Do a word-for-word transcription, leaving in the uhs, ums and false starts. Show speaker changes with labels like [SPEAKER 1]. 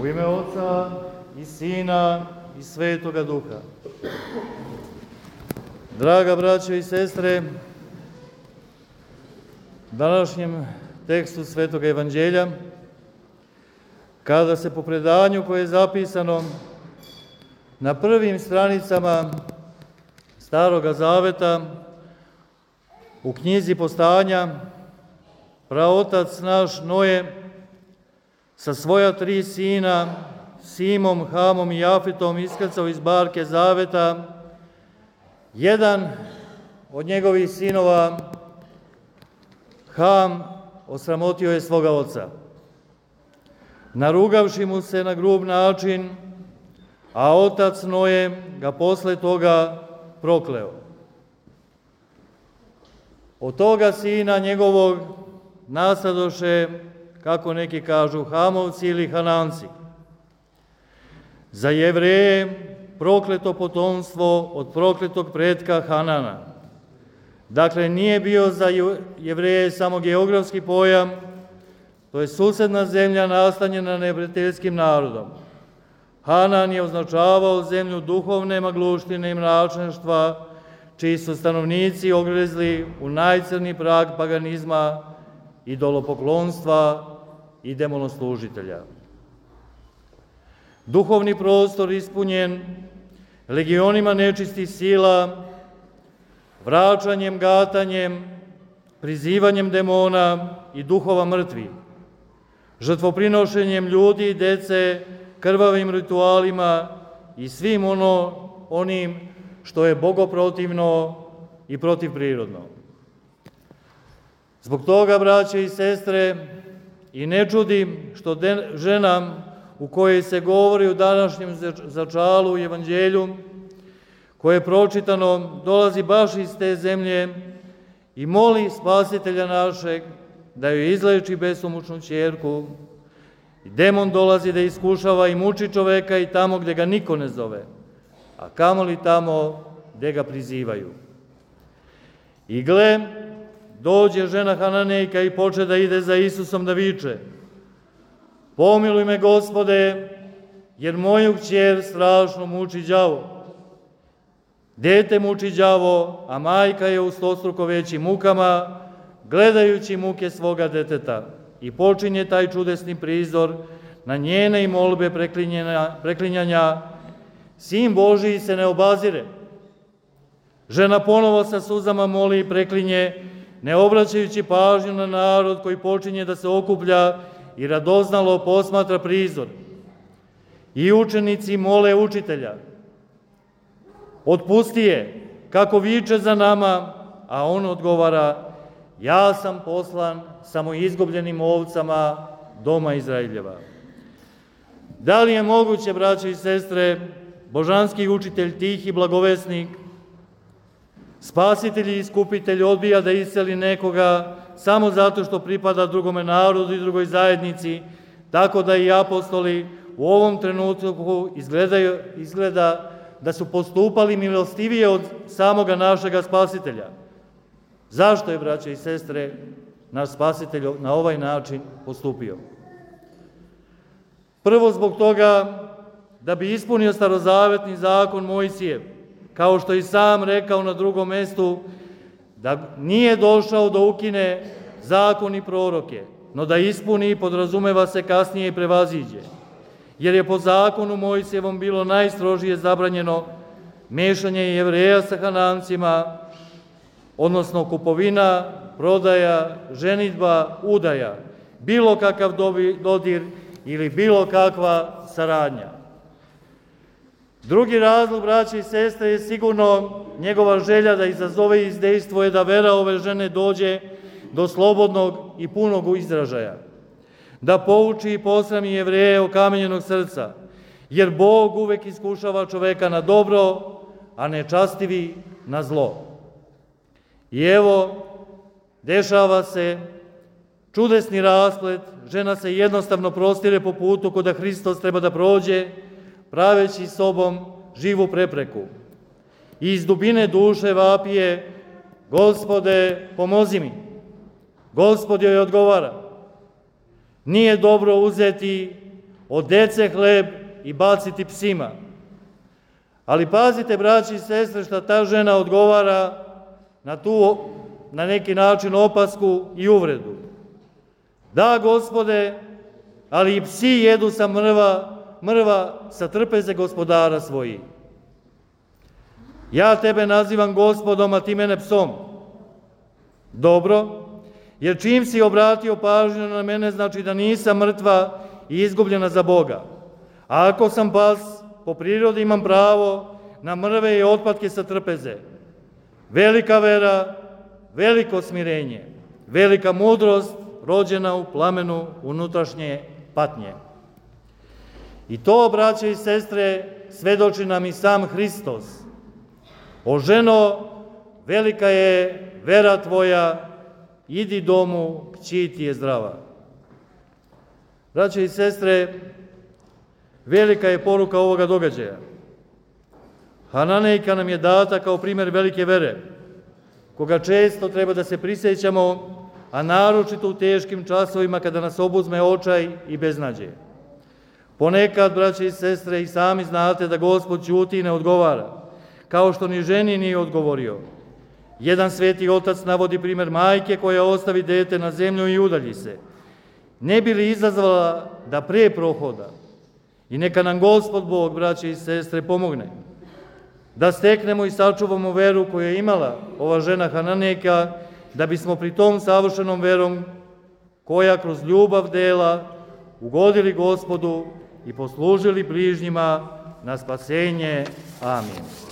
[SPEAKER 1] U ime Oca i Sina i Svetoga Duha. Draga braćo i sestre, u današnjem tekstu Svetoga Evanđelja, kada se po predanju koje je zapisano na prvim stranicama Staroga Zaveta u knjizi Postanja, praotac naš Noe sa svoja tri sina, Simom, Hamom i Jafetom, iskrcao iz barke Zaveta, jedan od njegovih sinova, Ham, osramotio je svoga oca, narugavši mu se na grub način, a otac Noe ga posle toga prokleo. Od toga sina njegovog nastadoše, kako neki kažu, Hamovci ili Hananci. Za Jevreje prokleto potomstvo od prokletog pretka Hanana. Dakle, nije bio za Jevreje samo geografski pojam, to je susedna zemlja nastanjena neprijateljskim narodom. Hanan je označavao zemlju duhovne magluštine i mračništva, čiji su stanovnici ogrezli u najcrnji prag paganizma, idolopoklonstva i demonoslužitelja. Duhovni prostor ispunjen legionima nečistih sila, vraćanjem, gatanjem, prizivanjem demona i duhova mrtvi, žrtvoprinošenjem ljudi i dece, krvavim ritualima i svim ono, onim što je bogoprotivno i protivprirodno. Zbog toga, braće i sestre, i ne čudi što de, žena u kojoj se govori u današnjem začalu u Evanđelju, koje je pročitano, dolazi baš iz te zemlje i moli Spasitelja našeg da joj izleči besomučnu ćerku. I demon dolazi da iskušava i muči čoveka i tamo gde ga niko ne zove, a kamoli tamo gde ga prizivaju. I gle, dođe žena Hananejka i poče da ide za Isusom da viče: pomiluj me, Gospode, jer moju kćer strašno muči đavo. Dete muči đavo, a majka je u stostruko većim mukama, gledajući muke svoga deteta. I počinje taj čudesni prizor na njene i molbe preklinjanja. Sin Božiji se ne obazire. Žena ponovo sa suzama moli i preklinje, ne obraćajući pažnju na narod koji počinje da se okuplja i radoznalo posmatra prizor. I učenici mole učitelja: otpusti je, kako viče za nama, a on odgovara: ja sam poslan samo izgubljenim ovcama doma Izraeljeva. Da li je moguće, braće i sestre, božanski učitelj, tih i blagovesnik, spasitelj i iskupitelj odbija da isceli nekoga samo zato što pripada drugome narodu i drugoj zajednici, tako da i apostoli u ovom trenutku izgledaju, izgleda da su postupali milostivije od samoga našega spasitelja? Zašto je, braće i sestre, naš spasitelj na ovaj način postupio? Prvo zbog toga da bi ispunio starozavetni zakon Mojsijev, kao što i sam rekao na drugom mestu, da nije došao da ukine zakon i proroke, no da ispuni i podrazumeva se kasnije i prevaziđe. Jer je po zakonu Mojsijevom bilo najstrožije zabranjeno mešanje Jevreja sa Hanancima, odnosno kupovina, prodaja, ženidba, udaja, bilo kakav dodir ili bilo kakva saradnja. Drugi razlog, braće i sestre, je sigurno njegova želja da izazove i izdejstvuje da vera ove žene dođe do slobodnog i punog izražaja, da pouči i posrami Jevreje okamenjenog srca, jer Bog uvek iskušava čoveka na dobro, a nečastivi na zlo. I evo, dešava se čudesni rasplet, žena se jednostavno prostire po putu kuda Hristos treba da prođe, praveći sobom živu prepreku. I iz dubine duše vapije: Gospode, pomozi mi. Gospod joj odgovara: nije dobro uzeti od dece hleb i baciti psima. Ali pazite, braći i sestre, šta ta žena odgovara na tu, na neki način, opasku i uvredu. Da, Gospode, ali i psi jedu sa mrva, mrva sa trpeze gospodara svojih. Ja tebe nazivam Gospodom, a ti mene psom. Dobro, jer čim si obratio pažnju na mene, znači da nisam mrtva i izgubljena za Boga. A ako sam pas, po prirodi imam pravo na mrve i otpatke sa trpeze. Velika vera, veliko smirenje, velika mudrost rođena u plamenu unutrašnje patnje. I to, braće i sestre, svedoči nam i sam Hristos. O ženo, velika je vera tvoja, idi domu, kći ti je zdrava. Braće i sestre, velika je poruka ovoga događaja. Hananejka nam je data kao primjer velike vere, koga često treba da se prisjećamo, a naročito u teškim časovima kada nas obuzme očaj i beznađe. Ponekad, braće i sestre, i sami znate da Gospod ćuti i ne odgovara, kao što ni ženi nije odgovorio. Jedan sveti otac navodi primjer majke koja ostavi dete na zemlju i udalji se. Ne bi li izazvala da pre prohoda? I neka nam Gospod Bog, braće i sestre, pomogne da steknemo i sačuvamo veru koju je imala ova žena Hananejka, da bismo pri tom savršenom verom, koja kroz ljubav dela, ugodili Gospodu i poslužili bližnjima na spasenje. Amin.